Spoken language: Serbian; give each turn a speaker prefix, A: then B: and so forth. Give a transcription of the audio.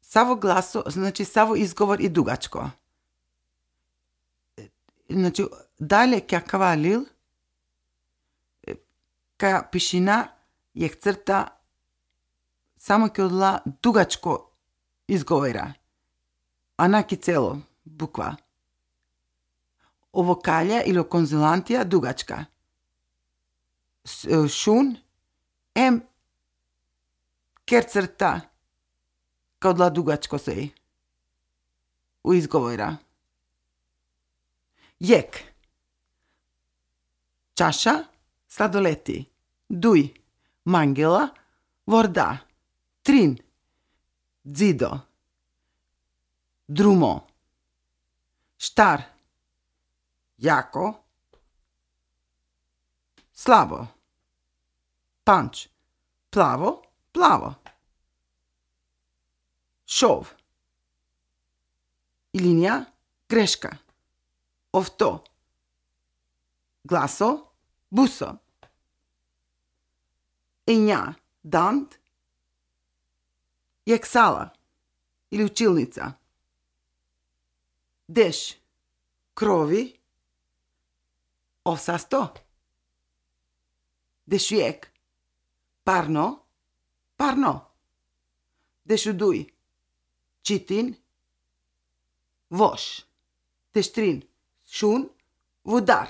A: Само гласо, значи само изговор и дугачко. Значи, дале ке кавалил, ка пишина је црта само ке одла дугачко изговора. А наки цело, буква. O vokalja ili o konzonantija dugačka. Šun, ker crta kao dla dugačko sej. U izgovora. Jek. Čaša, sladoleti. Duj, mangela, vorda. Trin, zido. Drumo. Štar, jako. Slabo. Panč, plavo, plavo. Šov. I linija, greška. Ovto. Glaso, buso. Enja, dant. Jeksala ili učilnica. Deš, krovi. Ovsasto. Dešujek. Parno, parno. Dešuduj. Čitin. Voš. Teštrin. Šun. Vodar.